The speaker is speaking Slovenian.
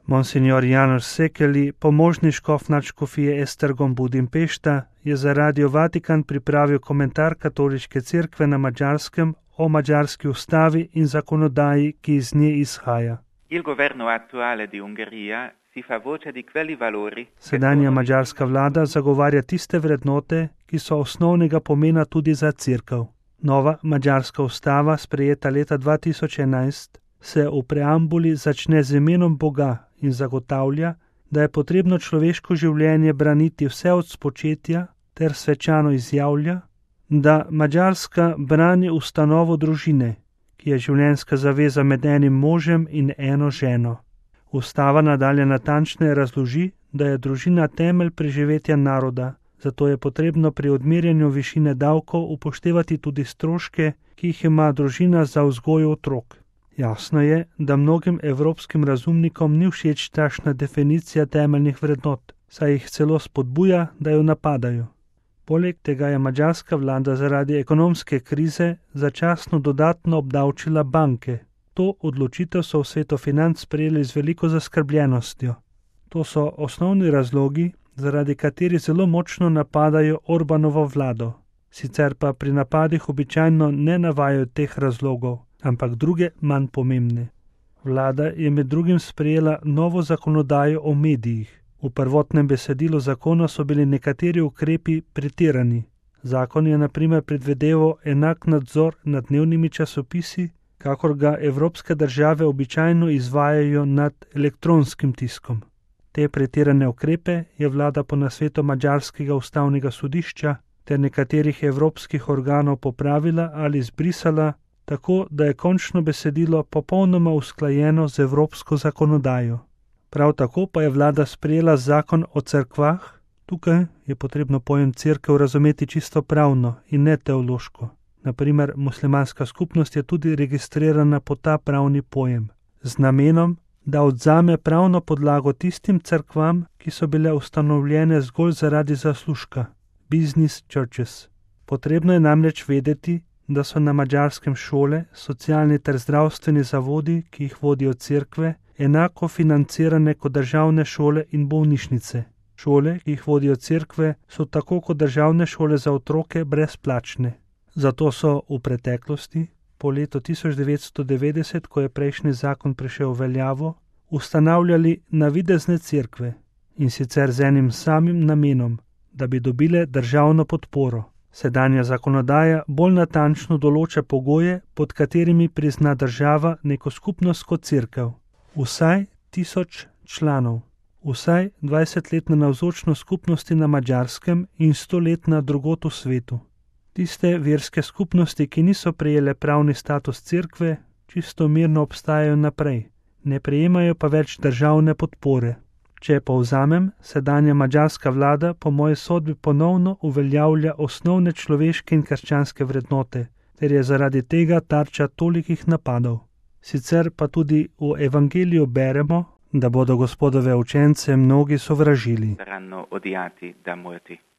Monsignor János Székely, pomožni škof nadškofije Esztergom Budimpešta, je za Radio Vatikan pripravil komentar Katoliške cerkve na Madžarskem o madžarski ustavi in zakonodaji, ki iz nje izhaja. Il governo attuale di Ungheria si fa voce di quelli valori. Sedanja madžarska vlada zagovarja tiste vrednote, ki so osnovnega pomena tudi za cerkev. Nova madžarska ustava, sprejeta leta 2011, se v preambuli začne z imenom Boga in zagotavlja, da je potrebno človeško življenje braniti vse od spočetja ter svečano izjavlja, da Madžarska brani ustanovo družine, ki je življenjska zaveza med enim možem in eno ženo. Ustava nadalje natančneje razloži, da je družina temelj preživetja naroda, zato je potrebno pri odmerjanju višine davkov upoštevati tudi stroške, ki jih ima družina za vzgojo otrok. Jasno je, da mnogim evropskim razumnikom ni všeč takšna definicija temeljnih vrednot, saj jih celo spodbuja, da jo napadajo. Poleg tega je madžarska vlada zaradi ekonomske krize začasno dodatno obdavčila banke. To odločitev so v svetu financ sprejeli z veliko zaskrbljenostjo. To so osnovni razlogi, zaradi katerih zelo močno napadajo Orbanovo vlado. Sicer pa pri napadih običajno ne navajajo teh razlogov, ampak druge manj pomembne. Vlada je med drugim sprejela novo zakonodajo o medijih. V prvotnem besedilu zakona so bili nekateri ukrepi pretirani. Zakon je na primer predvideval enak nadzor nad dnevnimi časopisi, kakor ga evropske države običajno izvajajo nad elektronskim tiskom. Te pretirane ukrepe je vlada po nasvetu madžarskega ustavnega sodišča ter nekaterih evropskih organov popravila ali izbrisala, tako da je končno besedilo popolnoma usklajeno z evropsko zakonodajo. Prav tako pa je vlada sprejela zakon o cerkvah. Tukaj je potrebno pojem cerkev razumeti čisto pravno in ne teološko. Naprimer, muslimanska skupnost je tudi registrirana po ta pravni pojem, z namenom, da odzame pravno podlago tistim cerkvam, ki so bile ustanovljene zgolj zaradi zaslužka, business churches. Potrebno je namreč vedeti, da so na Madžarskem šole, socialni ter zdravstveni zavodi, ki jih vodijo cerkve, enako financirane kot državne šole in bolnišnice. Šole, ki jih vodijo cerkve, so tako kot državne šole za otroke brezplačne. Zato so v preteklosti, po letu 1990, ko je prejšnji zakon prišel v veljavo, ustanavljali navidezne cerkve, in sicer z enim samim namenom, da bi dobile državno podporo. Sedanja zakonodaja bolj natančno določa pogoje, pod katerimi prizna država neko skupnost kot cerkev. Vsaj 1000 članov, vsaj 20-letna navzočnost skupnosti na Madžarskem in 100-letna drugod v svetu. Tiste verske skupnosti, ki niso prejele pravni status cerkve, čisto mirno obstajajo naprej, ne prejemajo pa več državne podpore. Če povzamem, sedanja madžarska vlada po moji sodbi ponovno uveljavlja osnovne človeške in krščanske vrednote, ter je zaradi tega tarča tolikih napadov. Sicer pa tudi v evangeliju beremo, da bodo Gospodove učence mnogi sovražili.